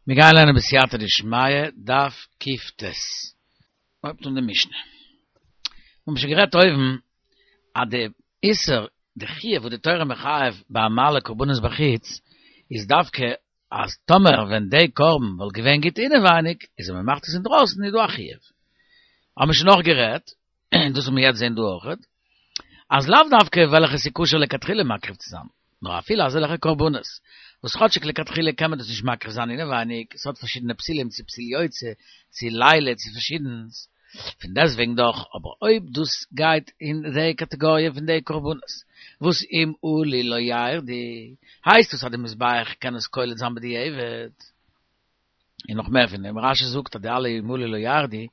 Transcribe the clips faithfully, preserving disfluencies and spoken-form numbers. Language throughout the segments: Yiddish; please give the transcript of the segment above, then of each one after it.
מיר גייען לערנען בסייעתא דשמיא, דף קט. מ'הויבט אן די משנה. מיר האבן שוין גערעדט אויבן אז די איסור, די חיוב וואס די תורה מחייב ביי המעלה קרבנות בחוץ, איז דווקא אז טאמער ווען די קרבן וואלט געווען גוט אינעווייניג, איז ווען מ'מאכט עס אינדרויסן איז דא א חיוב. האבן מיר שוין נאך גערעדט, און דאס וועלן מיר יעצט זען דא אויכעט, אז לאו דווקא וועלכע ס'איז כשר לכתחילה מקריב צו זיין, נאר אפילו אזעלכע קרבנות וואס כאטשיג לכתחילה קען מען דאס נישט מקריב זיין אינעווייניג, ס'האט פארשידענע פסולים צו פסול יוצא, צו לילה, צו פארשידענס, פון דעסטוועגן דאך, אבער אויב דאס גייט אין די קאטעגאריע פון די קרבנות וואס אם עלו לא ירדו, הייסט דאס אז די מזבח קען עס קולט זיין בדיעבד. און נאך מער פון דעם, רשי זאגט אז די אלע אם עלו לא ירדו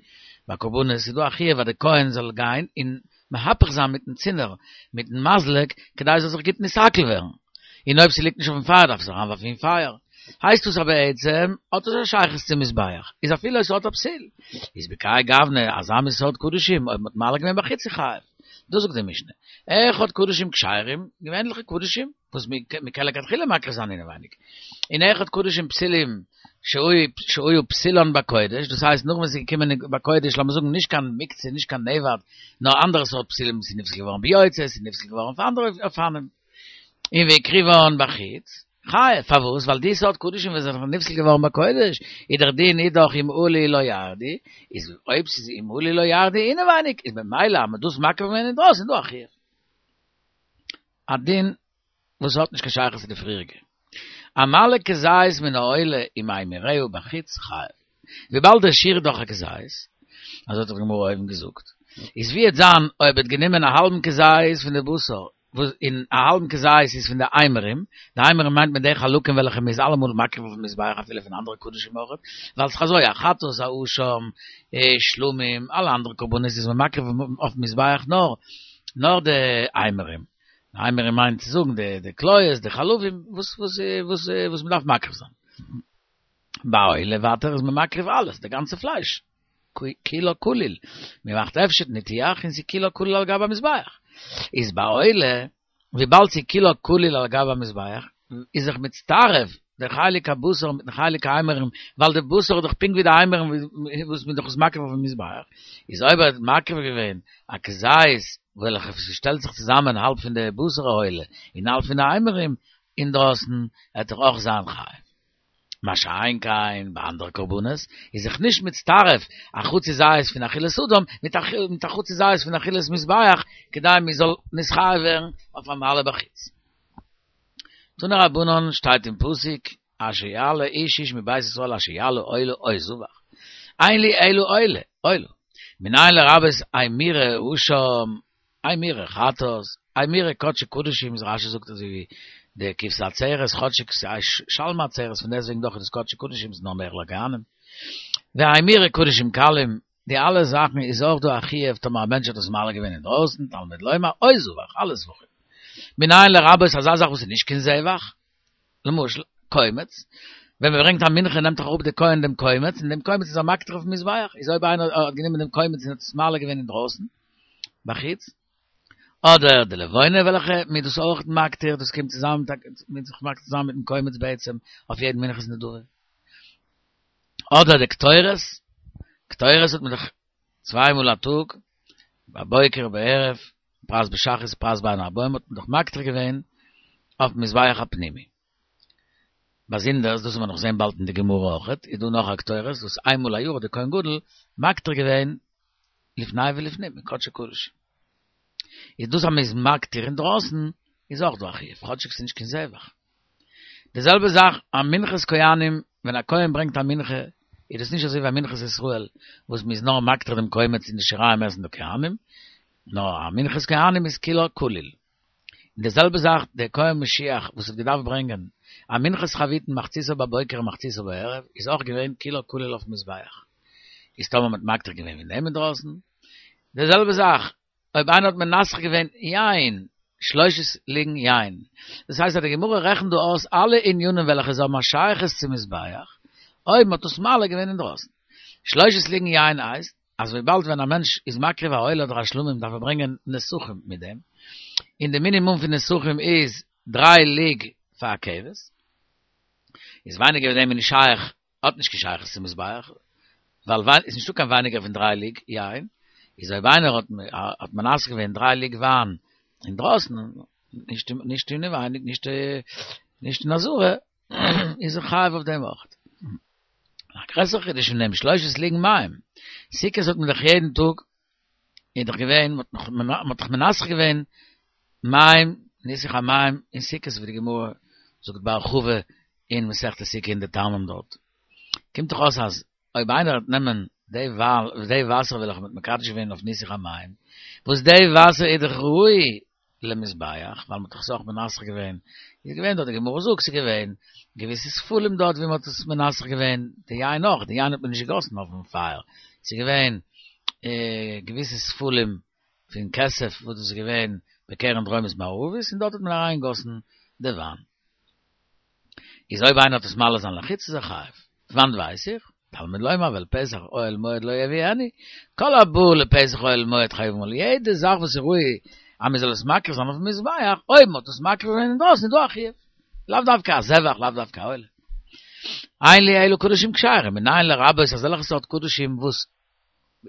ביי קרבנות איז דא א חיוב אז די כהן זאל גיין און מהפך זיין מיטן צינור, מיטן מזלג, כדי עס זאל זיך גוט נתעכל ווערן. און אויב ס'ליגט נישט אויפן פייער דארף עס אריינווארפן אין פייער. הייסט דאס אז בעצם האט עס א שייכות צום מזבח, איז אפילו עס האט א פסול, איז בכהאי גוונא אזא מין סארט קדשים אויב מ'האט מעלה געווען בחוץ איז חייב. דאס זאגט די משנה. אחד קדשים כשרים, געווענליכע קדשים, וואס מ'קען לכתחילה מקריב זיין אינעווייניג. און אחד קדשים פסולים שהיו פסולן בקודש, דאס הייסט נאך ווען ס'איז געקומען בקודש, לאמיר זאגן נישט קיין מוקצה, נישט קיין נאבד, נאר אנדערע סארט פסולים, ס'איז נפסל געווארן ביוצא, ס'איז נפסל געווארן אויף אנדערע אופנים. און והקריבן בחוץ, חייב, פארוואס? ווייל די סארט קדשים וואס זענען נפסל געווארן בקודש, איז דער דין איז דאך אם עלו לא ירדו, איז אויב ס'איז אם עלו לא ירדו אינעווייניג, איז במילא אז מ'האט דאס מקריב געווען אינדרויסן איז דא א חיוב. א דין וואס האט נישט קיין שייכות צו די פריעריגע. המעלה כזית מן העולה וממירה בחוץ חייב. וויבאלד דער שיעור איז דאך א כזית, אזוי האט דאך די גמרא אויבן געזאגט, איז ווי עט זיין אויב ער האט גענומען א האלבן כזית פון די בשר, וואס און א האלבן כזית איז פון די אימורים, די אימורים מיינט מען די חלקים וועלכע מען איז אלעמאל מקריב אויפן מזבח אפילו פון אנדערע קדשים אויך, ווייל ס'איז אזוי א חטאת א אשם, שלמים, אלע אנדערע קרבנות איז מען מקריב אויפן מזבח נאר נאר די אימורים, די אימורים מיינט צו זאגן די די כליות, די חלבים, וואס וואס וואס וואס מען דארף מקריב זיין. ביי עולה ווייטער איז מען מקריב אלעס, די גאנצע פלייש, כולו כליל, מען מאכט הפשט ניתוח און ס'איז כולו כליל על גבי המזבח. איז ביי עולה, וויבאלד ס'איז כולו כליל על גבי המזבח, איז זיך מצטרף דער חלק הבשר מיטן חלק האימורים, ווייל די בשר איז דאך פונקט ווי די אימורים וואס מען איז דאך עס מקריב אויפן מזבח, איז אויב ער האט מקריב געווען א כזית וועלכע שטעלט זיך צוזאמען האלב פון די בשר העולה און האלב פון די אימורים אינדרויסן, וועט ער אויך זיין חייב. מה שאין כן ביי אנדערע קרבנות איז זיך נישט מצטרף א חצי זית פון אכילת אדם מיט א חצי זית פון אכילת מזבח כדי מען זאל נתחייב ווערן אויף המעלה בחוץ. תנו רבנן שטייט אין פסוק אשר יעלה איש איש מבית ישראל אשר יעלה עולה או זבח אין לי אלא עולה עולה מנין לרבות אימורי אשם אימורי חטאת אימורי קדשי קדשים איז רשי זאגט אזוי ווי די כבשי עצרת כאטשיג ס'איז שלמי עצרת פון דעסטוועגן דאך איז דאס קדשי קדשים ס'איז נאר נאר לכהנים ואימורי קדשים קלים די אלע זאכן איז אויך דא א חיוב טאמער א מענטש האט עס מעלה געווען אינדרויסן תלמוד לומר או זבח אלע זבחים מנין לרבות אזא זאך וואס איז נישט קיין זבח למשל, קומץ, ווען מען ברענגט א מנחה נעמט דאך אראפ דער כהן דעם קומץ, און דעם קומץ איז ער מקטיר אויפן מזבח, איז אויב איינער האט גענומען דעם קומץ און האט עס מעלה געווען אינדרויסן, בחוץ, אדער די לבונה וועלכע מען איז דאס אויך מקטיר, דאס קומט צוזאמען מיט זיך מאכט צוזאמען מיטן קומץ בעצם אויף יעדן מנחת נדבה. אדער די קטורת, קטורת האט מען דאך צוויי מאל א טאג, בבוקר ובערב, פרס בשחרית פרס בין הערבים האט מען דאך מקטיר געווען אויפן מזבח הפנימי. באזונדערס, דאס וועט מען נאך זען באלד אין די גמרא אויכעט, איז דא נאך א קטורת וואס איין מאל א יאר האט דער כהן גדול מקטיר געווען לפני ולפנים אין קדשי קדשים. איז דאס אז מען איז מקטיר אינדרויסן איז אויך דא א חיוב, כאטשיג ס'איז נישט קיין זבח. די זעלבע זאך א מנחת כהנים, ווען א כהן ברענגט א מנחה, איז דאס נישט אזוי ווי א מנחת ישראל וואס מ'איז נאר מקטיר דעם קומץ און די שיריים עסן די כהנים, נאר א מנחת כהנים איז כולה כליל. און די זעלבע זאך דער כהן משיח וואס האט געדארפט ברענגען א מנחת חביתין מחציתה בבוקר ומחציתה בערב, איז אויך געווען כולה כליל אויפן מזבח. איז טאמער מ'האט מקטיר געווען פון דעם אינדרויסן, די זעלבע זאך אויב איינער האט מנסך געווען יין, שלושת לוגין יין, דאס הייסט אז די גמרא רעכנט דא אויס אלע ענינים וועלכע זיי האבן א שייכות צום מזבח, אויב מען האט עס מעלה געווען אינדרויסן. שלושת לוגין יין הייסט, אז וויבאלד ווען א מענטש איז מקריב א עולה אדער א שלמים דארף ער ברענגען נסכים מיט דעם, און די מינימום פון נסכים איז דריי לוג פאר א כבש, איז ווייניגער ווי דעם איז נישט שייך האט נישט קיין שייכות צום מזבח, ווייל וויין איז נישטא קיין ווייניגער פון דריי לוג יין, איז אויב איינער האט האט מנסך געווען דריי לוג וויין אינדרויסן, נישט נישט אינעווייניג, נישט נישט אין עזרה, איז ער חייב אויף דעם אויך. א גרעסערע חידוש פון דעם, שלושת לוגין מים. סוכות האט מען דאך יעדן טאג, איז דאך געווען, מען האט דאך מנסך געווען מים, ניסוך המים אין סוכות ווי די גמרא זאגט בהרחבה אין מסכת סוכה אין די טעמים דארט. קומט דאך אויס אז אויב איינער וועט נעמען די די וואסער וועלכע מ'האט מקדש געווען אויף ניסוך המים, וואס די וואסער איז דאך ראוי למזבח, ווייל מ'האט דאך עס אויך מנסך געווען, איז געווען דארט, די גמרא זאגט ס'איז געווען געוויסע ספלים דארט ווי מ'האט עס מנסך געווען, די יין אויך, די יין האט מען נישט געגאסן אויפן פייער, ס'איז געווען געוויסע ספלים פון כסף וואס דאס איז געווען בקרן דרומית מערבית און דארט האט מען אריינגעגאסן די וויין. איז אויב איינער וועט עס מעלה זיין לחוץ איז ער חייב. פון וואנט ווייס איך? תלמוד לומר ואל פתח אוהל מועד לא יביאנו, כל הבא לפתח אוהל מועד חייבין עליו, יעדע זאך וואס איז ראוי אז מען זאל עס מקריב זיין אויפן מזבח, אויב מען האט עס מקריב געווען אינדרויסן איז דא א חיוב, לאו דווקא א זבח, לאו דווקא א עולה. אין לי אלא קדשים כשרים, מנין לרבות אזעלכע סארט קדשים וואס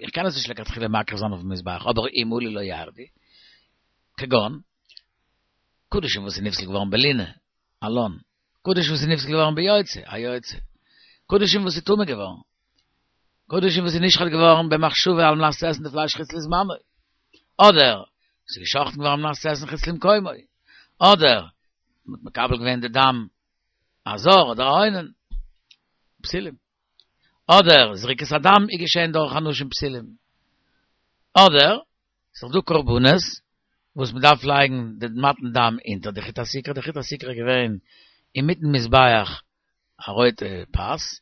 איך קען עס נישט לכתחילה מקריב זיין אויפן מזבח, אבער אם עלו לא ירדו, כגון, קדשים וואס איז נפסל געווארן בלינה, א לן, קדשים וואס איז נפסל געווארן ביוצא, א יוצא, קדשים וואס איז טמא געווארן, קדשים וואס איז נשחט געווארן במחשבה על מנת צו עסן די פלייש חוץ לזמנו, אדער וואס איז געשחטן געווארן על מנת צו עסן חוץ למקומו, אדער מ'האט מקבל געווען די דם א זר אדער א אונן, פסולים. אדער זריקת הדם איז געשען דורך אנשים פסולים. אדער ס'איז דא קרבנות וואס מ'דארף לייגן די מתן דם אונטער די חוט הסיקרא, די חוט הסיקרא איז געווען אינמיטן מזבח א רויטע פאס,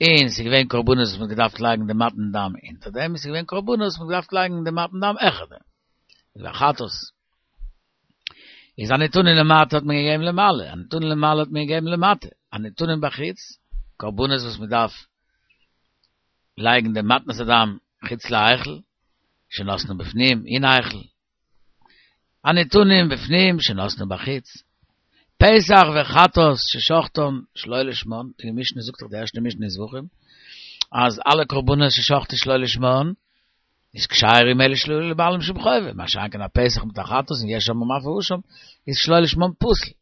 און ס'איז געווען קרבנות וואס מ'האט געדארפט לייגן די מתן דם אונטער דעם, און ס'איז געווען קרבנות וואס מ'האט געדארפט לייגן די מתן דם העכער דעם. ווי חטאת. איז הנתונים למטה האט מען געגעבן למעלה, הנתונים למעלה האט מען געגעבן למטה, הנתונים בחוץ, קרבנות וואס מ'דארף לייגן די מתנת הדם חוץ להיכל, שנתנו בפנים, אין היכל. הנתונים בפנים שנתנו בחוץ. פסח וחטאת ששחטן שלא לשמן, די משנה זאגט דאך די ערשטע משנה אין זבחים, אז אלע קרבנות ששחטו שלא לשמן, איז כשרים אלא שלא לבעלים שום חובה, מה שאין כן א פסח מיט א חטאת און יש אומרים אף האשם, איז שלא לשמן פסול.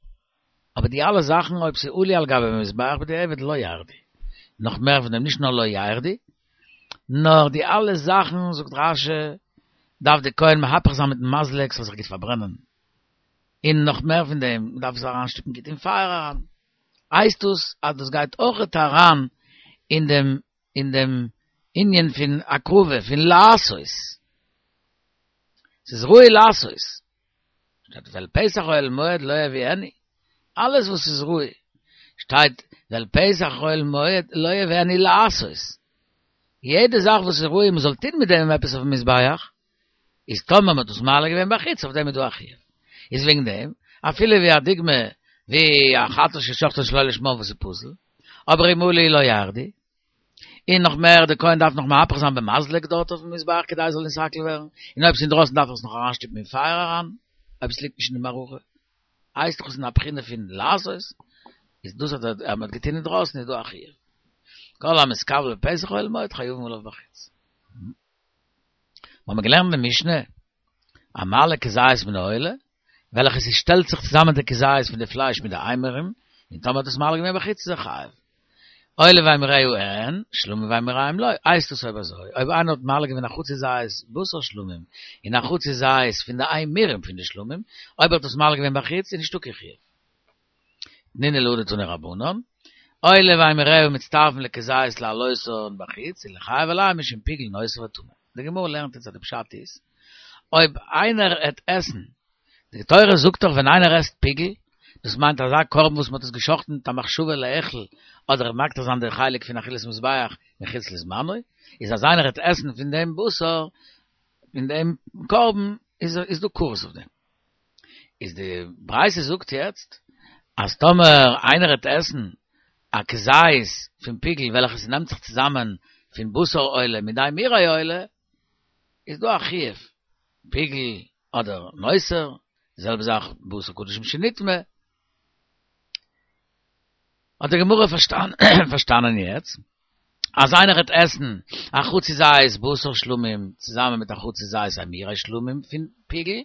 אבער די אלע זאכן אויב ס'איז עלו על גבי מזבח בדיעבד לא ירדו. נאך מער פון דעם נישט נאר לא ירדו, נאר די אלע זאכן זאגט רש"י דארף די כהן מהפך זיין מיטן מזלג ס'זאל זיך גוט פארברענען. און נאך מער פון דעם, מ'דארף עס אריינשטופן גוט אין פייער אריין. הייסט דאס אז דאס גייט אויכעט אריין אין דעם אין דעם ענין פון הקרבה, פון לעשות. ס'איז ראוי לעשות. שטייט ואל פתח אוהל מועד לא יביאנו. אלעס וואס איז ראוי. שטייט ואל פתח אוהל מועד לא יביאנו לעשות. יעדע זאך וואס איז ראוי מ'זאל טון מיט דעם עפעס אויפן מזבח, איז טאמער מ'האט דאס מעלה געווען בחוץ, אויף דעם איז דא א חיוב. איז וועגן דעם, אפילו ווי א דוגמא ווי א חטאת ששחטן שלא לשמה וואס איז פסול, אבער אם עלו לא ירדו, און נאך מער, דער כהן דארף נאך מהפך זיין במזלג דארט אויפן מזבח כדי עס זאל נתעכל ווערן, און אויב עס איז אינדרויסן דארף ער עס נאך אריינשטופן אין פייער אריין, אויב עס ליגט נישט אין די מערכה. הייסט דאך עס אין א בחינה פון לעשות, איז דאס אז מען האט געטון אינדרויסן איז דא א חיוב. כל המתכוון בפתח אוהל מועד חייבין עליו בחוץ. מיר האבן געלערנט אין משנה, המעלה כזית מן העולה, וועלכע ס'שטעלט זיך צוזאמען די כזית פון די פלייש מיט די אימורים, און טאמער האט עס מעלה געווען בחוץ איז ער חייב. עולה ואימוריה אין, שלמים ואימוריהם לא, הייסט עס אויב אזוי, אויב איינער האט מעלה געווען א חצי זית בשר שלמים, און א חצי זית פון די אימורים פון די שלמים, אויב ער האט עס מעלה געווען בחוץ איז נישטא קיין חיוב. תנינא להא דתנו רבנן, עולה ואימוריה מצטרפין לכזית להעלותן בחוץ, וליחייב עליהם משום פיגול נותר וטמא. די גמרא לערנט אונז אז די פשט איז, אויב איינער עט עסן, די תורה זאגט דאך ווען איינער עסט פיגול, דאס מיינט אזא קרבן וואס מען האט עס גע'שחט'ן מיט א מחשבה לאכול, אדער מקטיר זיין די חלק פון אכילת מזבח מחוץ לזמנו, איז אז איינער עט עסן פון דעם בשר, פון דעם קרבן, איז איז דא כרת אויף דעם. איז די ברייתא זאגט יעצט, אז טאמער איינער עט עסן א כזית פון פיגול וועלכע ס'נעמט זיך צוזאמען פון בשר עולה מיט די אימורי עולה, איז דא א חיוב פיגול אדער נותר, די זעלבע זאך בשר קדשים שנטמא, האט די גמרא פארשטאנען יעצט, אז איינער וועט עסן א חצי זית בשר שלמים צוזאמען מיט א חצי זית אימורי שלמים פון פיגול,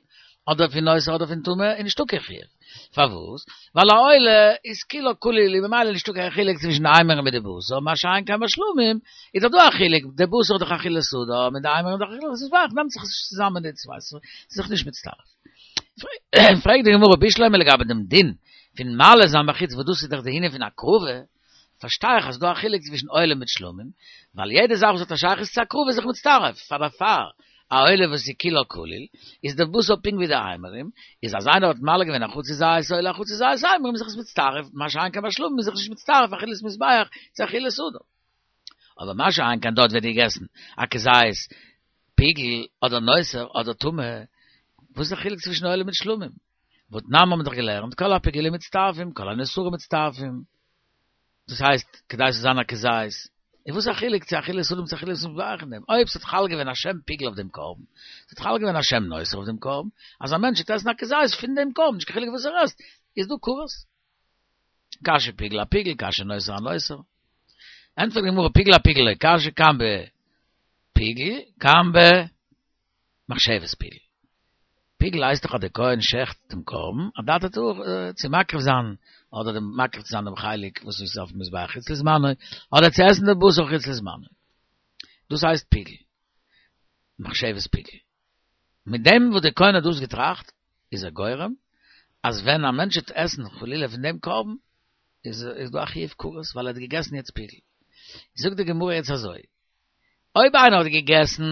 אדער פון נותר אדער פון טמא, איז נישטא קיין חיוב. פארוואס? ווייל א עולה איז כולה כליל און ממילא נישטא קיין חילוק צווישן די אימורים מיט די בשר, מה שאין כן ביי שלמים איז דאך דא א חילוק, די בשר איז דאך אכילת אדם און די אימורים איז דאך אכילת מזבח, נעמט זיך עס נישט צוזאמען די צוויי, ס'איז זיך נישט מצטרף. פרעגט די גמרא בשלמא לגבי דעם דין פון מעלה זיין בחוץ וואס דאס איז דאך די ענין פון הקרבה, פארשטיי איך אז ס'דא א חילוק צווישן עולה מיט שלמים, ווייל יעדע זאך וואס האט א שייכות צו הקרבה איז זיך מצטרף, פאר דערפאר א עולה וואס איז כולה כליל, איז דער בשר פונקט ווי די אימורים, איז אז איינער האט מעלה געווען א חצי זית עולה א חצי זית אימורים איז זיך עס מצטרף, מה שאין כן ביי שלמים איז זיך נישט מצטרף אכילת מזבח צו אכילת אדם. אבער מה שאין כן דארט ווערט געגעסן א כזית פיגול אדער נותר אדער טמא, וואס איז די חילוק צווישן עולה מיט שלמים? והתנן האבן מיר דאך געלערנט כל הפיגולים מצטרפים כל הנותרים מצטרפים, דאס הייסט כדי ס'זאל זיין א כזית, און וואס איז א חילוק צו אכילת אדם צו אכילת מזבח אין דעם? אויב ס'האט חל געווען א שם פיגול אויף דעם קרבן, ס'האט חל געווען א שם נותר אויף דעם קרבן, אז א מענטש וועט עסן א כזית פון דעם קרבן, נישט קיין חילוק וואס ער עסט, איז דא כרת. קשיא פיגול אפיגול, קשיא נותר אנותר. ענטפערט די גמרא פיגול אפיגול לא קשיא, כאן בפיגול, כאן במחשבת פיגול. פיגול הייסט דאך אז דער כהן שעכט דעם קרבן, אדעתא צו מקריב זיין, אדער דעם מקריב צו זיין דעם חלק וואס איז אויפן מזבח חוץ לזמנו, אדער צו עסן דעם בשר חוץ לזמנו. דאס הייסט פיגול. מחשבת פיגול. מיט דעם וואס דער כהן האט דאס געטראכט, איז ער גורם אז ווען א מענטש וועט עסן חלילה פון דעם קרבן, איז איז דא א חיוב כרת ווייל ער האט געגעסן יעצט פיגול. זאגט די גמרא יעצט אזוי, אויב איינער האט געגעסן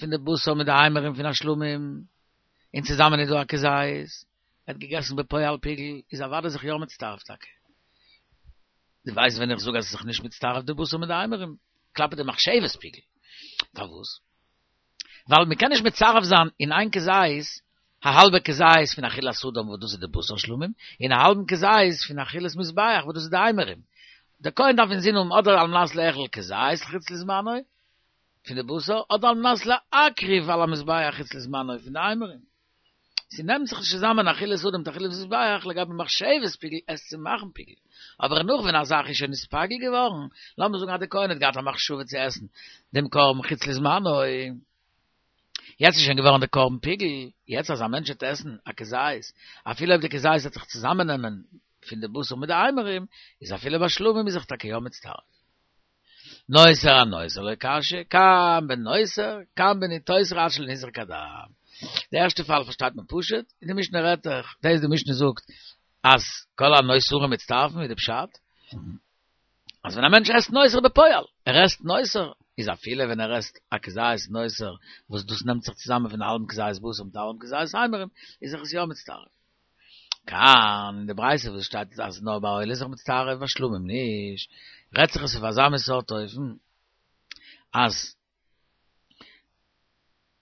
פון די בשר מיט די אימורים פון א שלמים, און צוזאמען איז דא א כזית, ער האט געגעסן בפועל פיגול, איז אוודאי זיך יא מצטרף טאקע. דו ווייסט ווען איך זאג אז עס איז זיך נישט מצטרף די בשר מיט די אימורים, כלפי די מחשבת פיגול. פארוואס? ווייל מען קען נישט מצרף זיין אין איין כזית א האלבע כזית פון אכילת אדם וואס דאס איז די בשר שלמים, און א האלבן כזית פון אכילת מזבח וואס דאס איז די אימורים. דער כהן דארף אינזין האבן אדער על מנת לאכול כזית חוץ לזמנו פון די בשר, אדער על מנת להקריב על המזבח חוץ לזמנו פון די אימורים. ס'נעמט זיך נישט צוזאמען אכילת אדם מיט אכילת מזבח לגבי מחשבת פיגול עס צו מאכן פיגול. אבער נאך ווען א זאך איז שוין נתפגל געווארן, לאמיר זאגן אז דער כהן האט געהאט א מחשבה צו עסן דעם קרבן חוץ לזמנו, יעצט איז שוין געווארן די קרבן פיגול, יעצט אז א מענטש וועט עסן א כזית, אפילו אויב די כזית וועט זיך צוזאמעננעמען פון די בשר מיט די אימורים, איז אפילו ביי שלמים איז זיך טאקע יא מצטרף. נותר אנותר לא קשיא, כאן בנותר, כאן בניתוסר עד שלא נזרק הדם. די ערשטע פאל פארשטייט מען פשוט, און די משנה רעדט דאך, דאס די משנה זאגט אז כל הנותרים מצטרפים ווי די פשט, אז ווען א מענטש עסט נותר בפועל, ער עסט נותר, איז אפילו ווען ער עסט א כזית נותר, וואס דאס נעמט זיך צוזאמען פון א האלבן כזית בשר מיט א האלבן כזית אימורים, איז זיך עס יא מצטרף. כאן, אין די ברייתא וואס שטייט אז נאר ביי עולה איז זיך מצטרף, ביי שלמים נישט, רעדט זיך עס אויף אזא מין סארט אופן, אז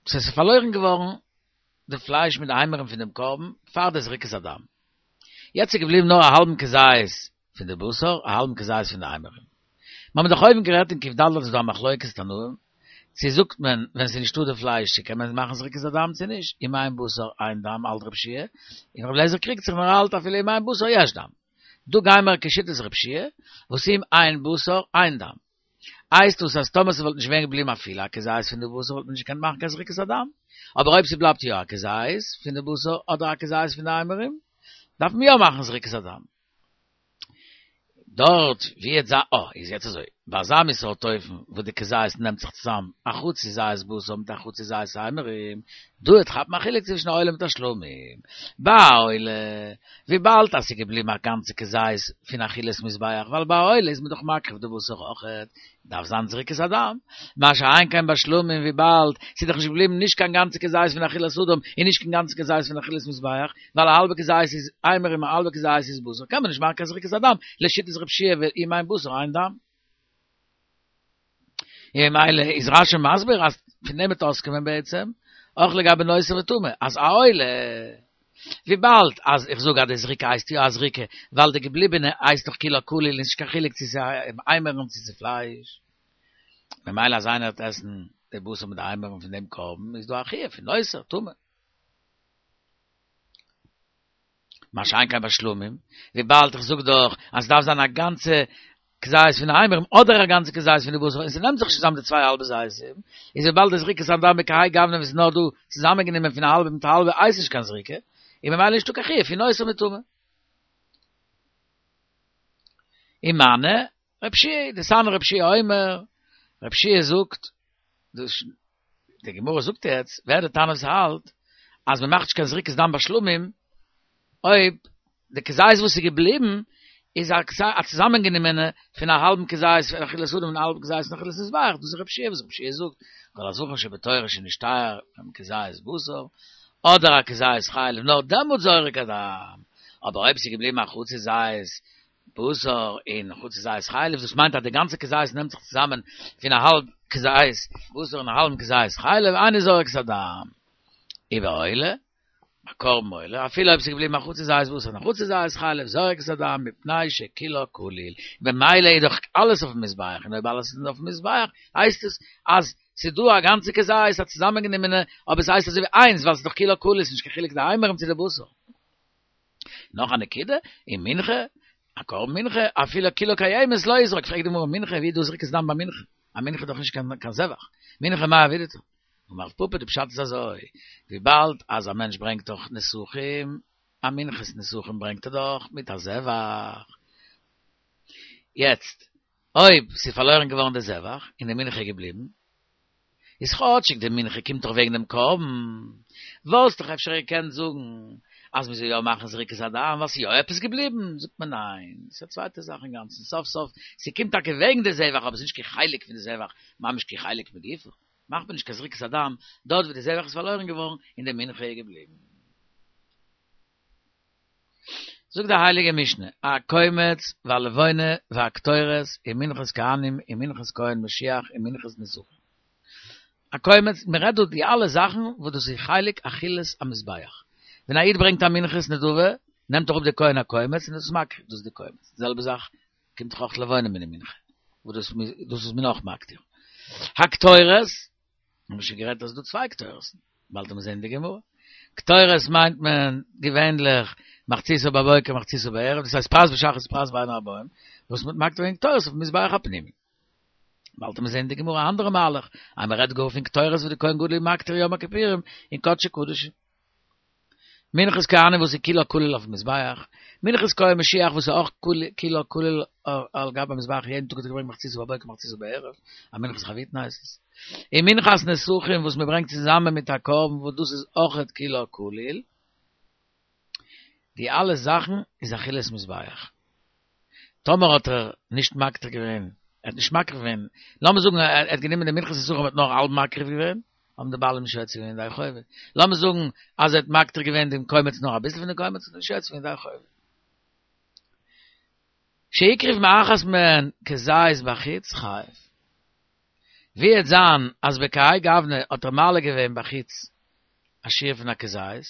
ס'איז פארלוירן געווארן די פלייש מיט די אימורים פון דעם קרבן פאר די זריקת הדם. יעצט איז געבליבן נאר א האלבן כזית פון די בשר, א האלבן כזית פון די אימורים. מיר האבן דאך אויבן גערעדט אין ק"ד איז דא א מחלוקת תנאים, צו זאגט מען ווען ס'איז נישטא די פלייש צו קען מען מאכן זריקת הדם צו נישט, אם אין בשר אין דם האלט רב שיע, און רבי אליעזר קריגט זיך און ער האלט אפילו אם אין בשר יש דם. דא גיימער כשיטת רב שיע, וואס אם אין בשר אין דם. הייסט דאס אז טאמער ס'וואלט נישט געווען געבליבן אפילו א כזית פון די בשר וואלט מען נישט געקענט מאכן קיין זריקת הדם, אבער אויב ס'בלייבט יא א כזית פון די בשר אדער א כזית פון די אימורים, דארף מען יא מאכן זריקת הדם. דארט ווי יעצט זיין, אה, איז יעצט אזוי, ביי אזא מין סארט אופן וואס די כזית נעמט זיך צוזאם א חצי זית בשר מיט א חצי זית אימורים, דא וועט כאפן א חילוק צווישן א עולה מיט א שלמים. ביי א עולה, וויבאלד אז ס'איז געבליבן א גאנצע כזית פון אכילת מזבח, ווייל ביי א עולה איז מען דאך מקריב די בשר אויכעט, דארף זיין זריקת הדם. מה שאין כן ביי שלמים וויבאלד ס'איז דאך נישט געבליבן נישט קיין גאנצע כזית פון אכילת אדם און נישט קיין גאנצע כזית פון אכילת מזבח, ווייל א האלבע כזית איז אימורים און א האלבע כזית איז בשר, קען מען נישט מאכן קיין זריקת הדם, לשיטת רב שיע ואם אין בשר אין דם. און ממילא איז רשי מסביר אז פון דעם וועט אויסקומען בעצם אויך לגבי נותר וטמא, אז א עולה, וויבאלד אז איך זאג אז די זריקה הייסט יא א זריקה, ווייל די געבליבענע הייסט דאך כולה כליל און ס'נישט קיין חילוק צו ס'איז אימורים צו ס'איז פלייש, ממילא אז איינער וועט עסן די בשר מיט די אימורים פון דעם קרבן איז דא א חיוב פון נותר, טמא. מה שאין כן ביי שלמים, וויבאלד איך זאג דאך אז ס'דארף זיין א גאנצע כזית פון די אימורים אדער א גאנצע כזית פון די בשר, און ס'נעמט זיך נישט צוזאם די צוויי האלבע זיתים, איז וויבאלד די זריקת הדם בכהאי גוונא וואס איז נאר דא צוזאמענגענומען פון א האלבע מיט א האלבע הייסט נישט קיין זריקה, און ממילא נישטא קיין חיוב פון נותר מטמא. ומני רבי יהושע, דתניא רבי יהושע אומר, רבי יהושע זאגט, דאס די גמרא זאגט יעצט, ווער די תנא וואס האלט אז מען מאכט נישט קיין זריקת דם ביי שלמים, אויב די כזית וואס איז געבליבן איז א צוזאמענגענומענע פון א האלבן כזית פון אכילת אדם און א האלבן כזית פון אכילת מזבח, דאס איז רבי יהושע וואס רבי יהושע זאגט, כל הזבחים שבתורה שנשתייר מהם כזית בשר, אדער א כזית חלב, נאר דעמאלט זורק הדם, אבער אויב ס'איז געבליבן א חצי זית בשר און חצי זית חלב, דאס מיינט אז די גאנצע כזית נעמט זיך צוזאמען פון א האלב כזית בשר און א האלבן כזית חלב, אינו זורק את הדם. ובעולה, א קרבן עולה, אפילו אויב ס'איז געבליבן א חצי זית בשר און א חצי זית חלב, זורק את הדם מפני שכולה כליל. במילא איז דאך אלעס אויפן מזבח, און אויב אלעס איז אויפן מזבח, הייסט עס אז ס'איז דא א גאנצע כזית, א צוזאמענגענומענע, אבער ס'הייסט אזוי ווי איינס, ווייל ס'איז דאך כולה כליל, ס'איז נישט קיין חילוק די אימורים צו די בשר. נאך א נקודה, ומנחה, א קרבן מנחה, אפילו כולה קיימת לא יזרוק, פרעגט די גמרא, מנחה, ווי איז דא זריקת דם ביי מנחה? א מנחה איז דאך נישט קיין זבח, מנחה מאי עבידתא? אמר רב פפא, די פשט איז אזוי, וויבאלד אז א מענטש ברענגט דאך נסכים, א מנחת נסכים ברענגט ער דאך מיט א זבח, יעצט אויב ס'איז פארלוירן געווארן די זבח און די מנחה איז געבליבן, איז כאטשיג די מנחה קומט דאך וועגן דעם קרבן, וואלסט דאך אפשר געקענט זאגן אז מ'זאל יא מאכן זריקת הדם ווייל ס'איז יא עפעס געבליבן, זאגט מען ניין, ס'איז א צווייטע זאך אינגאנצן, סוף סוף ס'קומט טאקע וועגן די זבח אבער ס'איז נישט קיין חלק פון די זבח, ממש כחלק מגופו, מאכט מען נישט קיין זריקת הדם דארט ווי די זבח איז פארלוירן געווארן און די מנחה איז געבליבן. זאגט די הייליגע משנה, הקומץ והלבונה והקטורת ומנחת כהנים ומנחת כהן משיח ומנחת נסכים. הקומץ, מען רעדט דא די אלע זאכן וואס דאס איז חלק אכילת המזבח. ווען א איד ברענגט א מנחת נדבה, נעמט אראפ די כהן א קומץ און דאס איז מקריב, דאס איז די קומץ. די זעלבע זאך קומט דאך אויך לבונה מן המנחה, וואס דאס דאס איז מען אויך מקטיר. הקטורת, האבן מיר שוין גערעדט אז ס'איז דא צוויי קטורת'ן, באלד וועט מען זען אין די גמרא. קטורת מיינט מען געווענליך מחציתה בבוקר מחציתה בערב, דאס הייסט פרס בשחרית פרס בין הערבים, וואס מ'האט מקטיר געווען קטורת אויפן מזבח הפנימי. באלד וועט מען זען אין די גמרא א אנדערע מהלך, אז מען רעדט גאר פון קטורת וואס די כהן גדול איז מקטיר יום הכיפורים אין קדשי קדשים. מנחת כהנים וואס איז כולה כליל אויפן מזבח, מנחת כהן משיח וואס איז אויך כולה כליל על גבי המזבח יעדן טאג האט ער געברענגט מחציתה בבוקר מחציתה בערב, א מנחת חביתין הייסט עס, און מנחת נסכים וואס מען ברענגט צוזאמען מיט א קרבן וואס דאס איז אויכעט כולה כליל, די אלע זאכן איז אכילת מזבח. טאמער האט ער נישט מקטיר געווען, ער האט נישט מקריב געווען, לאמיר זאגן ער האט גענומען די מנחת נסכים האט נאר האלב מקריב געווען, האבן די בעלים נישט יוצא געווען ידי חובה. לאמיר זאגן אז ער האט מקטיר געווען דעם קומץ נאר אביסל פון די קומץ, האט ער נישט יוצא געווען ידי חובה. שהקריב מאחת מהן כזית בחוץ חייב. ווי וועט זיין אז בכהאי גוונא האט ער מעלה געווען בחוץ א שיעור פון א כזית,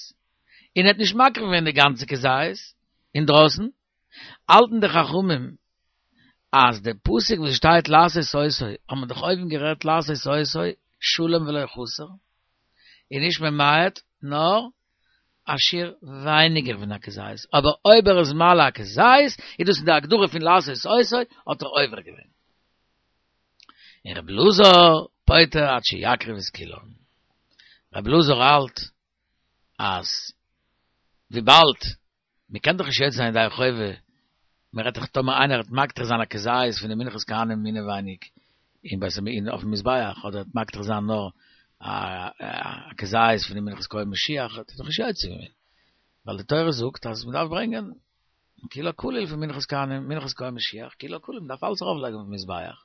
און ער האט נישט מקריב געווען די גאנצע כזית אינדרויסן, האלטן די חכמים אז די פסוק וואס שטייט לעשות אותו, האט מען דאך אויבן גערעדט לעשות אותו שלם ולא חסר, איז נישט ממעט נאר א שיעור ווייניגער פון א כזית, אבער אויב ער איז מעלה א כזית איז דאס אין די הגדרה פון לעשות אותו האט ער עובר געווען. און רבי אלעזר פוטר עד שיקריב את כולן. רבי אלעזר האלט אז וויבאלד מען קען דאך נישט יוצא זיין ידי חובה, מען רעדט דאך טאמער איינער וועט מקטיר זיין א כזית פון די מנחת כהנים אינעווייניג אין בית המ אין אויפן מזבח, אדער וועט מקטיר זיין נאר א כזית פון די מנחת כהן משיח, האט ער דאך נישט יוצא געווען, ווייל די תורה זאגט אז מען דארף ברענגען כולה כליל פון מנחת כהנים, מנחת כהן משיח, כולה כליל, מען דארף אלעס ארויף לייגן אויפן מזבח.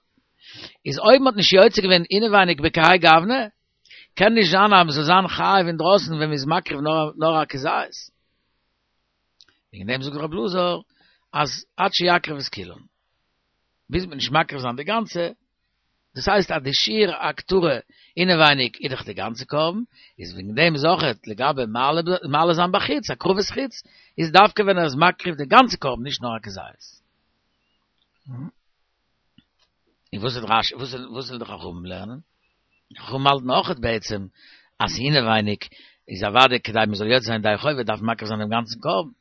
איז אויב מען האט נישט יוצא געווען אינעווייניג בכהאי גוונא, קען נישט זיין אז מען זאל זיין חייב אינדרויסן ווען מען איז מקריב נאר א כזית. וועגן דעם זאגט רבי אלעזר אז עד שיקריב את כולן, ביז מ'וועט נישט מקריב זיין די גאנצע, דאס הייסט אז די שיעור הקטרה אינעווייניג איז דאך די גאנצע קרבן, איז וועגן דעם איז אויכעט לגבי מעלה זיין בחוץ, הקרבת חוץ, איז דווקא ווען ער איז מקריב די גאנצע קרבן נישט נאר א כזית. און וואס וועט רש"י, וואס ווילן די חכמים לערנען? די חכמים האלטן אויכעט בעצם אז אינעווייניג איז אוודאי כדי מען זאל יוצא זיין ידי חובה דארף מען מקריב זיין דעם גאנצן קרבן.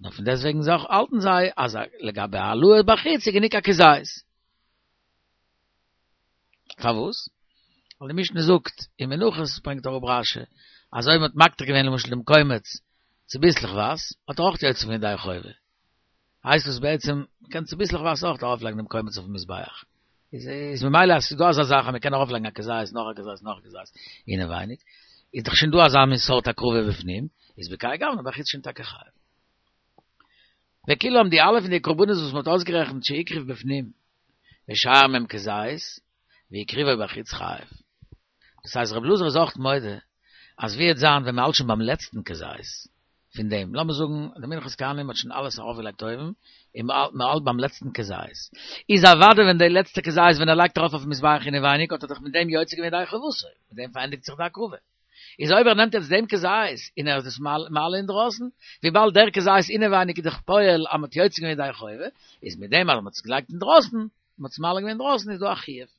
נאר פון דעסטוועגן זאך האלטן זיי, אז לגבי העלאה בחוץ איז גענוג א כזית. פארוואס? ווייל די משנה זאגט, אין מנחות ברענגט אראפ רש"י, אז אויב מ'האט מקטיר געווען למשל דעם קומץ צוביסלעכווייז, האט ער אויך יוצא געווען ידי חובה. הייסט עס בעצם, מ'קען צוביסלעכווייז אויך ארויפלייגן דעם קומץ אויפן מזבח. איז איז ממילא אז ס'איז דא אזא זאך אז מ'קען ארויפלייגן א כזית, נאך א כזית, נאך א כזית, אינעווייניג, איז דאך שוין דא אזא מין סארט הקרבה בפנים, איז בכהאי גוונא בחוץ שוין טאקע חייב. וכולן די אלע פון די קרבנות וואס מ'האט אויסגערעכנט שהקריב בפנים, ושאר מהם כזית, והקריבו בחוץ חייב. דאס הייסט רב אלעזר איז אויך מודה אז ווי וועט זיין ווען מ'האלט שוין ביים לעצטן כזית פון דעם, לאמיר זאגן די מנחת כהנים האט שוין אלעס ארויפגעלייגט אויבן, און מ'האלט ביים לעצטן כזית, איז אוודאי ווען די לעצטע כזית ווען ער לייגט ארויף אויפן מזבח אינעווייניג האט ער דאך מיט דעם יוצא געווען ידי חובתו, מיט דעם פארענדיגט זיך די הקרבה. איז אויב ער נעמט יעצט דעם כזית און ער איז דאס מעלה אינדרויסן, וויבאלד דער כזית אינעווייניג איז דאך פועל אז מ'האט יוצא געווען ידי חובה, איז מיט דעם אז מ'האט עס געלייגט אינדרויסן, מ'האט עס מעלה געווען אינדרויסן איז דא א חיוב.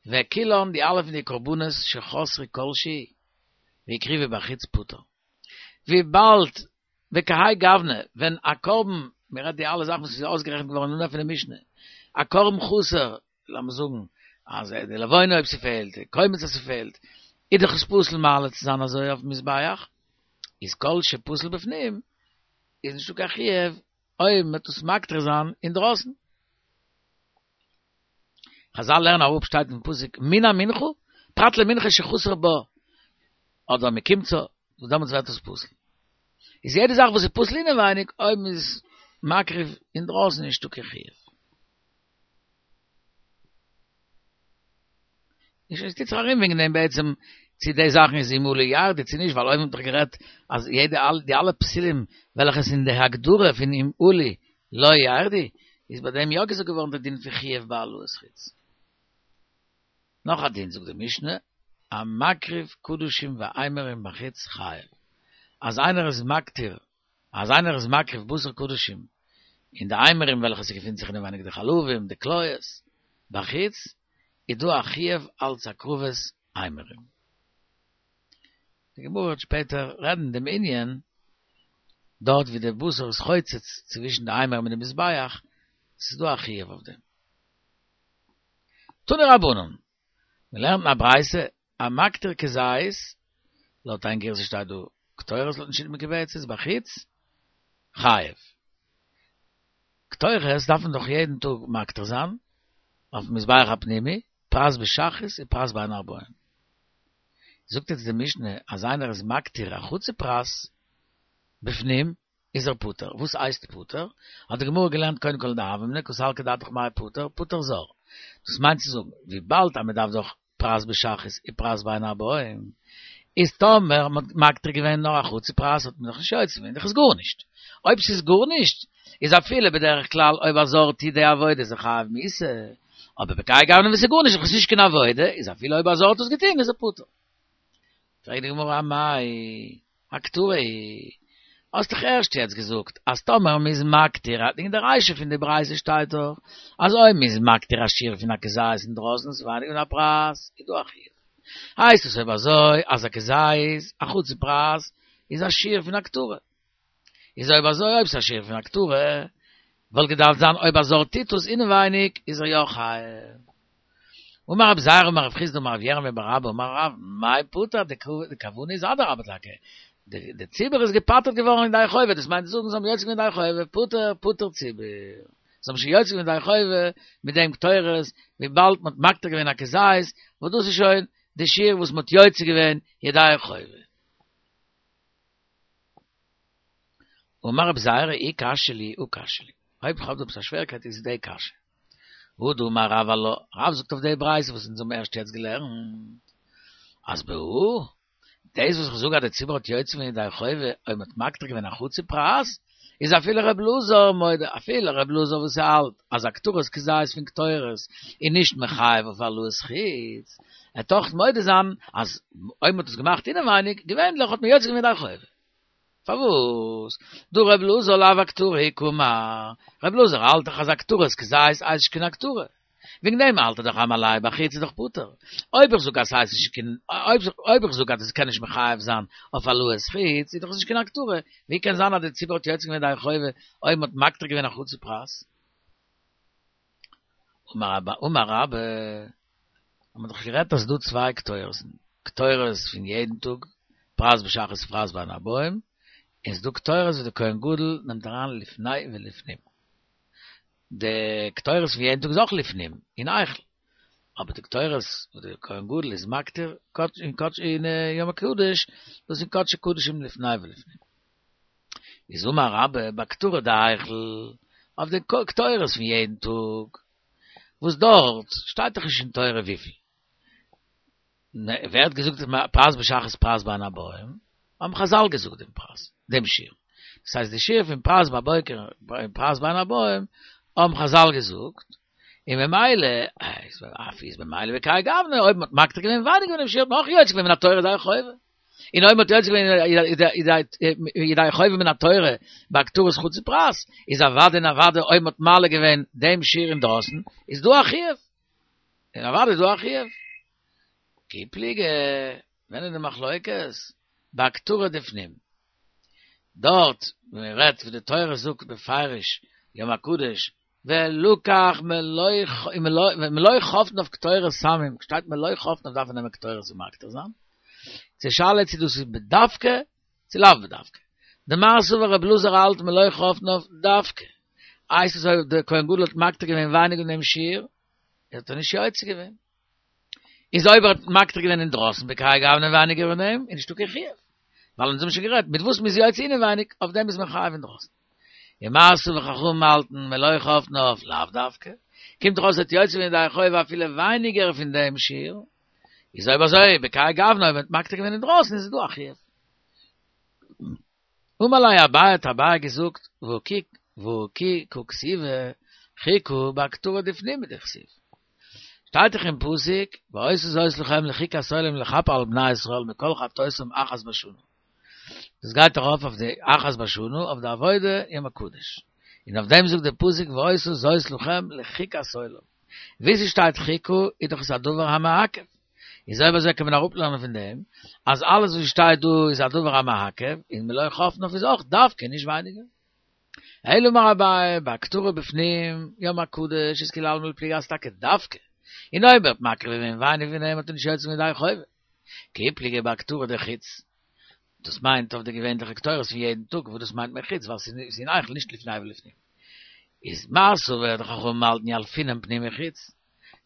וכולן די אלע פון די קרבנות שחסרו כל שהוא והקריבו בחוץ פטור. וויבאלד וכהאי גוונא ווען א קרבן, מ'רעדט די אלע זאכן וואס איז אויסגערעכנט געווארן אין אנהייב פון די משנה, א קרבן חסר, לאמיר זאגן אז די לבונה אויב ס'פעלט, די קומץ אז ס'פעלט, איז דאך עס פסול מעלה צו זיין אזוי אויפן מזבח, איז כל שפסול בפנים, איז נישטא קיין חיוב אויב מ'וועט עס מקטיר זיין אינדרויסן. חזל לערנען אראפ שטייט אין פסוק מן המנחה, פרט למנחה שחסר בה, אדער מקמצה, וואס דעמאלטס ווערט עס פסול. איז יעדע זאך וואס איז פסול אינעווייניג, אויב מ'איז מקריב אינדרויסן איז נישטא קיין חיוב. נישט עס טוט זיך ארום וועגן דעם בעצם צו די זאכן איז אם עלו ירדו צו נישט ווייל אויבן האט דאך גערעדט אז יעדע די אלע פסולים וועלכע איז אין די הגדרה פון אם עלו לא ירדו איז ביי דעם יא געזאגט געווארן די דין פון חיוב בהעלאת חוץ. נאך א דין זאגט די משנה המקריב קדשים ואימורים בחוץ חייב אז איינער איז מקטיר אז איינער איז מקריב בשר קדשים און די אימורים וועלכע ס'געפינט זיך אינעווייניג די חלבים די כליות בחוץ איז דא א חיוב אלץ הקרבת אימורים. די גמרא וועט שפעטער רעדן דעם ענין, דארט ווי די בשר איז חוצץ צווישן די אימורים און די מזבח, ס'איז דא א חיוב אויף דעם. תנו רבנן, מען לערנט אין א ברייתא, המקטיר כזית, לויט איין גירסא שטייט דא קטורת לויטן שיטה מקובצת, בחוץ, חייב. קטורת דארף מען דאך יעדן טאג מקטיר זיין, אויפן מזבח הפנימי, פרס בשחרית און פרס בין הערביים. זאגט יעצט די משנה אז איינער איז מקטיר א חצי פרס בפנים איז ער פטור. וואס הייסט פטור? האט די גמרא געלערנט קודם כל אין די הוה אמינא קא סלקא דעתך מאי פטור, פטור זר. דאס מיינט צו זאגן, וויבאלד אז מען דארף דאך פרס בשחרית און פרס בין הערביים, איז טאמער מ'האט מקטיר געווען נאר א חצי פרס האט מען דאך נישט יוצא געווען, דאך איז גארנישט. אויב ס'איז גארנישט, איז אפילו בדרך כלל אויב א זר טוט די עבודה איז ער חייב מיתה, אבער בכהאי גוונא וואס איז גארנישט דאך איז נישט קיין עבודה, איז אפילו אויב א זר האט עס געטון איז ער פטור. פרעגט די גמרא אמאי הקטרה היא, האסט דאך ערשט יעצט געזאגט אז טאמער מ'איז מקטיר, אין די רישא פון די ברייתא שטייט דאך אז אויב מ'איז מקטיר א שיעור פון א כזית אינדרויסן איז ווייניגער פון א פרס, איז דא א חיוב. הייסט עס אויב אזוי אז א כזית, א חצי פרס, איז א שיעור פון הקטרה. איז אויב אזוי אויב ס'איז א שיעור פון הקטרה, וואלט געדארפט זיין אויב א זר טוט עס אינעווייניג איז ער יא חייב. אמר רב זירא אמר רב חסדא אמר רב ירמיה בר אבא אמר רב, מאי פטור, די כוונה איז אדרבה טאקע, די ציבור איז געפטר'ט געווארן ידי חובה, דאס מיינט צו זאגן זיי האבן יוצא געווען ידי חובה, פטור פטור ציבור, זיי האבן שוין יוצא געווען ידי חובה מיט דעם קטורת, וויבאלד מ'האט מקטיר געווען א כזית, וואס דאס איז שוין די שיעור וואס מ'האט יוצא געווען ידי חובה. אמר רב זירא אי קשיא לי הא קשיא לי, אויב כ'האב דא עפעס א שווערקייט איז די קשיא. והא דאמר רב עלה, רב זאגט אויף די ברייתא וואס אונז האבן ערשט יעצט געלערנט, אז בהא, דאס וואס איך זאג אז די ציבור האט יוצא געווען ידי חובה אויב מ'האט מקטיר געווען א חצי פרס, איז אפילו ר' אלעזר מודה, אפילו ר' אלעזר וואס האלט אז הקטרת כזית פון קטורת איז נישט מחייב אויף העלאת חוץ, ער וועט אויך מודה זיין אז אויב מ'האט עס געמאכט אינעווייניג, געווענליך האט מען יוצא געווען ידי חובה. פארוואס? דהא ר' אלעזר לאו אקטרה היא קאמר, ר' אלעזר האלט דאך אז הקטרת כזית הייסט נישט קיין הקטרה, וועגן דעם האלט ער דאך המעלה בחוץ איז דאך פטור. אויב איך זאג אז ס'הייסט נישט קיין, אויב איך זאג אז עס קען נישט מחייב זיין אויף העלאת חוץ, איז דאך עס נישט קיין הקטרה. ווי קען זיין אז די ציבור האט יוצא געווען ידי חובה אויב מ'האט מקטיר געווען א חצי פרס? אמר רבה, האט מען דאך גערעדט אז ס'דא צוויי קטורת'ן, קטורת פון יעדן טאג, פרס בשחרית פרס בין הערבים, און ס'דא קטורת וואס די כהן גדול נעמט אריין לפני ולפנים. די קטורת פון יעדן טאג איז אויך לפנים, אין היכל. אבער די קטורת וואס די כהן גדול איז מקטיר אין קדש אין יום הקדוש, דאס איז קדשי קדשים לפני ולפנים. איז אמר רבה בקטרה דהיכל, אויף די קטורת פון יעדן טאג, וואס דארט שטייט דאך נישט אין תורה וויפיל. ווער האט געזאגט פרס בשחרית פרס בין הערבים? האבן חזל געזאגט דעם פרס, דעם שיעור. דאס הייסט די שיעור פון פרס בבוקר און פרס בין הערבים האבן חזל געזאגט, און ממילא, אף איז ממילא בכהאי גוונא, אויב מ'האט מקטיר געווען ווייניגער פון דעם שיעור האט מען אויך יוצא געווען מן התורה ידי חובה. און אויב מ'האט יוצא געווען ידי חובה מן התורה בהקטרת חצי פרס, איז אוודאי און אוודאי אויב מ'האט מעלה געווען דעם שיעור אינדרויסן, איז דא א חיוב. און אוודאי איז דא א חיוב. כי פליגי, ווען איז די מחלוקת? בהקטרה דפנים. דארט ווען מען רעדט ווי די תורה זאגט בפירוש יום הקדוש ולקח מלא חפניו קטורת סמים, שטייט מלא חפניו דארף מען נעמען קטורת און מקטיר זיין. די שאלה צו דאס איז בדווקא צו לאו בדווקא. דמר סבר רבי אלעזר האלט מלא חפניו דווקא. הייסט עס אויב דער כהן גדול האט מקטיר געווען ווייניגער פון דעם שיעור, האט ער נישט יוצא געווען. איז אויב ער האט מקטיר געווען אינדרויסן בכהאי גוונא ווייניגער פון דעם, איז נישטא קיין חיוב. ווייל אונז האבן שוין גערעדט, מיט וואס מ'איז יוצא אינעווייניג, אויף דעם איז מען חייב אינדרויסן. ומר סבר חכמים האלטן מלא חפניו לאו דווקא. קומט דאך אויס ער האט יוצא געווען ידי חובה אפילו ווייניגער פון דעם שיעור. איז אויב אזוי, בכהאי גוונא אויב מ'האט מקטיר געווען אינדרויסן איז דא א חיוב. אמר ליה אביי האט אביי געזאגט, והא כי והא כי קא כתיבא חוקה בהקטרה דפנים הוא דכתיב. שטייט דאך אין פסוק, והיתה זאת לכם לחוקת עולם לכפר על בני ישראל מכל חטאותם אחת בשנה. דאס גייט ארויף אויף די אחת בשנה אויף די עבודה יום הקדוש. און אויף דעם זאגט דער פסוק והיתה זאת לכם לחוקת עולם. ווי ס'שטייט חוקה איז דאך עס א דבר המעכב. איז אויב אזוי קען מען אראפלערנען פון דעם אז אלעס וואס שטייט דא איז א דבר המעכב, און מלא חפניו איז אויך דווקא נישט ווייניגער. אלא אמר אביי, בהקטרה בפנים, יום הקדוש איז כולי עלמא לא פליגי אז טאקע דווקא, און אויב ער האט מקריב געווען ווייניגער פון דעם האט ער נישט יוצא געווען ידי חובה. כי פליגי בהקטרה דחוץ, דאס מיינט אויף די געווענליכע קטורת פון יעדן טאג וואס דאס מיינט מען חוץ ווייל ס'איז אין היכל נישט לפני ולפנים. איז מר סבר די חכמים האלטן ילפינן פנים מחוץ.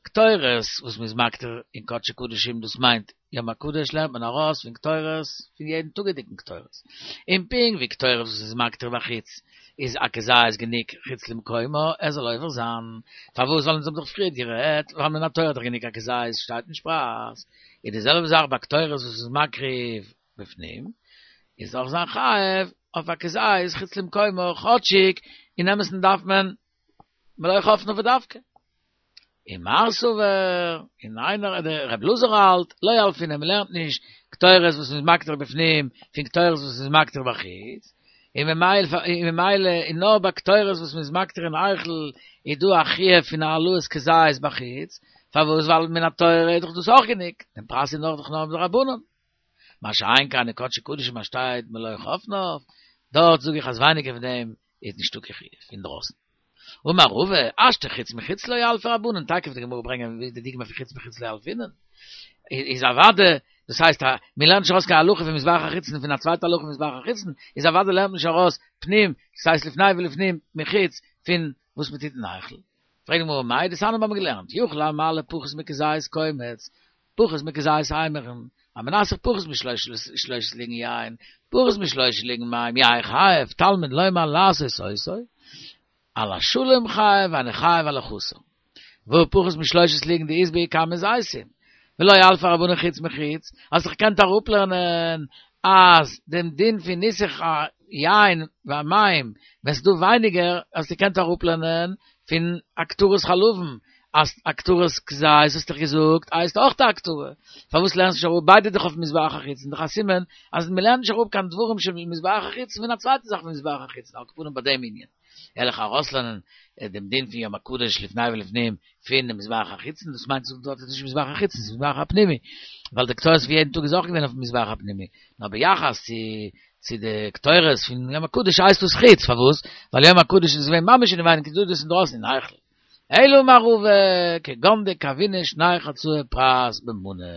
קטורת וואס מ'איז מקטיר אין קדשי קדשים דאס מיינט יום הקדוש לערנט מען ארויס פון קטורת פון יעדן טאגעדיגן קטורת. און פונקט ווי קטורת וואס מ'איז מקטיר בחוץ איז א כזית גענוג חוץ למקומו ער זאל עובר זיין. פארוואס ווייל אונז האבן דאך פריערט גערעדט ווייל מן התורה איז דאך גענוג א כזית שטייט נישט פרס. איז די זעלבע זאך ביי קטורת וואס מ'איז מקריב בפנים איז אויך זיין חייב אויף א כזית חוץ למקומו כאטשיג אין אמת'ן דארף מען מלא חפניו בדווקא. און מר סבר, און איינער דער רב אלעזר האלט, לא ילפינן מ'לערנט נישט קטורת וואס מ'איז מקטיר בפנים פון קטורת וואס מ'איז מקטיר בחוץ, און ממילא און נאר ביי קטורת וואס מ'איז מקטיר אין היכל איז דא א חיוב פון העלאת כזית בחוץ, פארוואס ווייל מן התורה איז דאך דאס אויך גענוג, דעם פרס איז נאך דאך נאר מדרבנן. מה שאין כן אין קדשי קדשים אז שטייט מלא חפניו, דארט זאג איך אז ווייניגער פון דעם איז נישטא קיין חיוב אינדרויסן. אמר רבא, השתא חוץ מחוץ לא ילפי רבנן, תיכף וועט די גמרא ברענגען ווי די דוגמא פון חוץ מחוץ לא ילפינן, איז אוודאי, דאס הייסט אז מען לערנט נישט ארויס קיין הלכה פון מזבח החיצון פון א צווייטע הלכה פון מזבח החיצון, איז אוודאי לערנט מען נישט ארויס פנים, דאס הייסט לפני ולפנים מחוץ, פון וואס מען טוט אין היכל. פרעגט די גמרא מאי דתניא האבן מיר געלערנט, יכול המעלה פחות מכזית קומץ, פחות מכזית אימורין, המנסך פחות משלושת לוגין יין, פחות משלושה לוגין מים, יהא חייב, תלמוד לומר לעשות אותו, על השלם חייב ואינו חייב על החסר. והא פחות משלושת לוגין דאית בהו כמה זיתים, ולא ילפי רבנן חוץ מחוץ, האסט דאך געקענט אראפלערנען אז דעם דין פון ניסוך היין והמים ווען ס'איז דא ווייניגער האסטו געקענט אראפלערנען פון הקטרת חלבים, אז הקטרת כזית האסט דאך געזאגט הייסט אויך א הקטרה, פארוואס לערנסט נישט אראפ ביידע דאך אויף מזבח החיצון, דאך א סימן אז מ'לערנט נישט אראפ קיין דברים של מזבח החיצון פון א צווייטע זאך פון מזבח החיצון, על כל פנים ביי דעם ענין. וועל איך ארויסלערנען דעם דין פון יום הקדוש לפני ולפנים פון דעם מזבח החיצון, דאס מיינט דארט איז נישט מזבח החיצון, ס'איז מזבח הפנימי, ווייל די קטורת פון יעדן טאג איז אויך געווען אויפן מזבח הפנימי, נאר ביחס צו צו די קטורת פון יום הקדוש הייסט דאס חוץ, פארוואס? ווייל יום הקדוש איז געווען ממש אינעווייניג איז דא דאס אינדרויסן אין היכל. אלא אמר רבא, כגון דקבעינהו שני חצאי פרס במנה.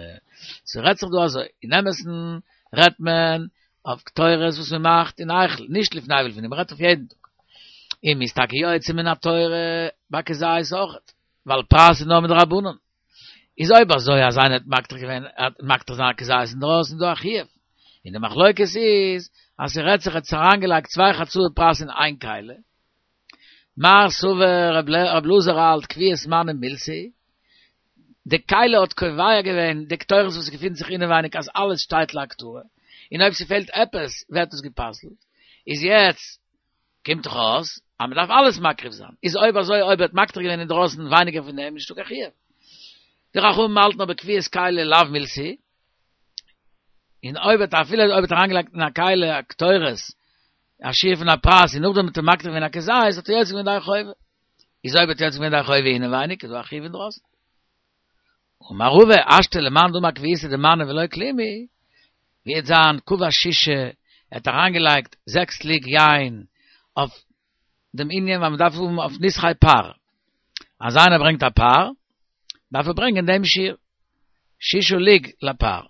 ס'רעדט זיך דא אזוי, אין אמת'ן רעדט מען אויף קטורת וואס מען מאכט אין היכל, נישט לפני ולפנים, מען רעדט אויף יעדן טאג. און מ'איז טאקע יוצא מן התורה ביי כזית אויכעט, ווייל פרס איז נאר מדרבנן. איז אויב אזוי אז איינער האט מקטיר געווען, האט מקטיר זיין א כזית אינדרויסן איז דא א חיוב. און די מחלוקת איז אז ס'רעדט זיך ער האט אריינגעלייגט צוויי חצאי פרס אין איין כלי. מר סבר רב אלעזר האלט קביעות מנה מילתא היא, די כלי האט קובע געווען די קטורת וואס געפינט זיך אינעווייניג אז אלעס שטייט להקטרה, און אויב ס'פעלט עפעס ווערט עס גע'פסל'ט, איז יעצט קומט דאך אויס אז מ'דארף אלעס מקריב זיין, איז אויב אזוי אויב ער האט מקטיר געווען אינדרויסן ווייניגער פון דעם איז נישטא קיין חיוב. די חכמים האלטן אבער קביעות כלי לאו מילתא היא, און אויב האט אפילו אויב האט אריינגעלייגט אין א כלי א קטורת א שיעור פון א פרס און נאכדעם האט ער מקטיר געווען א כזית האט ער יוצא געווען ידי חובה. איז אויב האט יוצא געווען ידי חובה אינעווייניג איז דא א חיוב אינדרויסן. אמר רבא השתא למאן דאמר קביעותא דמנה ולא כלום היא, ווי וועט זיין קבע שישה, ער האט אריינגעלייגט זעקס לוג יין אויף דעם ענין ווייל מ'דארף האבן אויף נסכי פר, אז איינער ברענגט א פר דארף ער ברענגען דעם שיעור, שישה לוג לפר,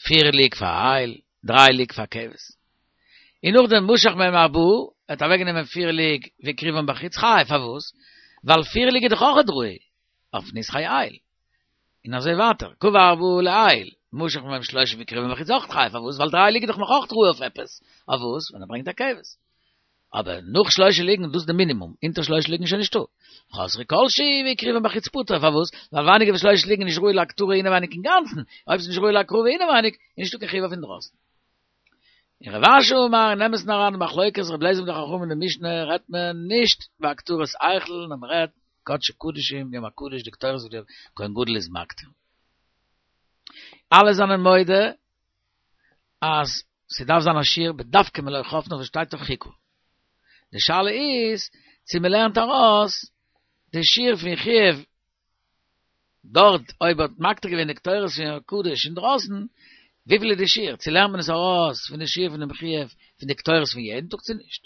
פיר לוג פאר איל, דריי לוג פאר כבש. און נאכדעם משך מהם ארבעה, ער האט אוועקגענומען פיר לוג והקריבן בחוץ חייב, פארוואס? ווייל פיר לוג איז דאך אויכעט ראוי אויף נסכי איל. און אזוי ווייטער, קבע ארבעה לאיל, משך מהם שלושה והקריבן בחוץ אויכעט חייב, פארוואס? ווייל דריי לוג איז דאך נאך אויכעט ראוי אויף עפעס, אויף וואס? ווען ער ברענגט א כבש. אבער נאך שלושה לוגין, דאס איז די מינימום, אונטער שלושה לוגין איז שוין נישטא. חסרו כל שהוא והקריבן בחוץ פטור, פארוואס? ווייל ווייניגער ווי שלושה לוגין איז נישט ראוי להקטרה אינעווייניג אינגאנצן, אויב ס'איז נישט ראוי להקרבה אינעווייניג, איז נישטא קיין חיוב אויף אינדרויסן. און רב אשי אמר אין אמת'ן אריין די מחלוקת רבי אליעזר מיט די חכמים אין די משנה רעדט מען נישט בהקטרת היכל נאר מען רעדט קדשי קדשים יום הקדוש די קטורת וואס דער כהן גדול איז מקטיר. אלע זענען מודה אז ס'דארף זיין א שיעור בדווקא מלא חפניו וואס שטייט אויף חיכה. די שאלה איז צו מ'לערנט ארויס די שיעור פון חיוב דארט אויב האט מקטיר געווען די קטורת פון יום הקדוש אינדרויסן, וויפיל איז די שיעור? צו לערנט מען עס ארויס פון די שיעור פון דעם חיוב פון די קטורת פון יעדן טאג צו נישט?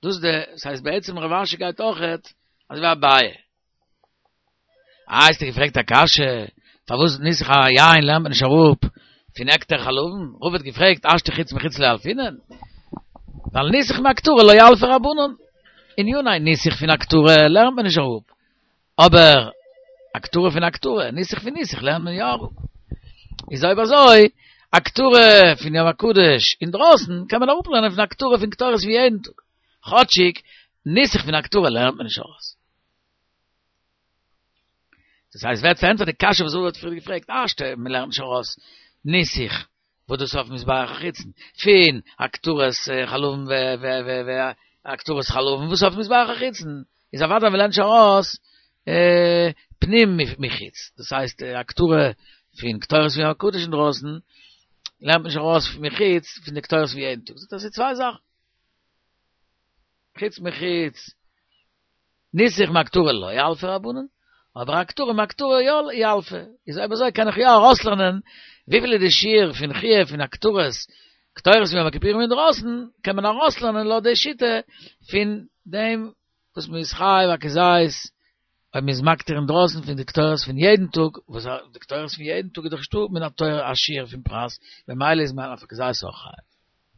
דאס די, ס'הייסט בעצם רב אשי גייט אויכעט אזוי ווי אביי. אה, האסטו געפרעגט א קשיא, פארוואס ניסוך היין לערנט מען נישט אראפ פון הקטר חלבים? רבא האט געפרעגט, השתא חוץ מחוץ לא ילפינן? ווייל ניסוך מהקטרה לא ילפי רבנן. עניני ניסוך פון הקטרה לערנט מען נישט אראפ, אבער הקטרה פון הקטרה, ניסוך פון ניסוך לערנט מען יא אראפ. איז אויב אזוי, הקטרה פון יום הקדוש אינדרויסן קען מען אראפלערנען פון הקטרה פון קטורת פון יעדן טאג, כאטשיג ניסוך פון הקטרה לערנט מען נישט ארויס. דאס הייסט ווערט פארענטפערט די קשיא וואס רבא האט פריער געפרעגט, השתא מען לערנט נישט ארויס ניסוך וואס דאס אויף מזבח החיצון, פון הקטרת חלבים ו ו ו ו הקטרת חלבים וואס אויף מזבח החיצון, איז אוודאי מען לערנט נישט ארויס פנים מחוץ, דאס הייסט הקטרה פון קטורת פון יום הקדוש אינדרויסן לערנט מען נישט ארויס מחוץ פון די קטורת פון יעדן טאג, זאגט ער ס'איז צוויי זאכן, חוץ מחוץ. ניסוך מהקטרה לא ילפי רבנן, אבער הקטרה מהקטרה יא ילפי, איז אויב אזוי קען איך יא ארויסלערנען וויפיל איז די שיעור פון חיוב פון הקטרת קטורת פון יום הכיפורים אינדרויסן, קען מען ארויסלערנען לויט די שיטה פון דעם וואס מען איז חייב א כזית אויב מען איז מקטיר אינדרויסן פון די קטורת פון יעדן טאג, וואס די קטורת פון יעדן טאג איז דאך נישטא מן התורה א שיעור פון פרס, במילא איז מען אויף א כזית אויך חייב.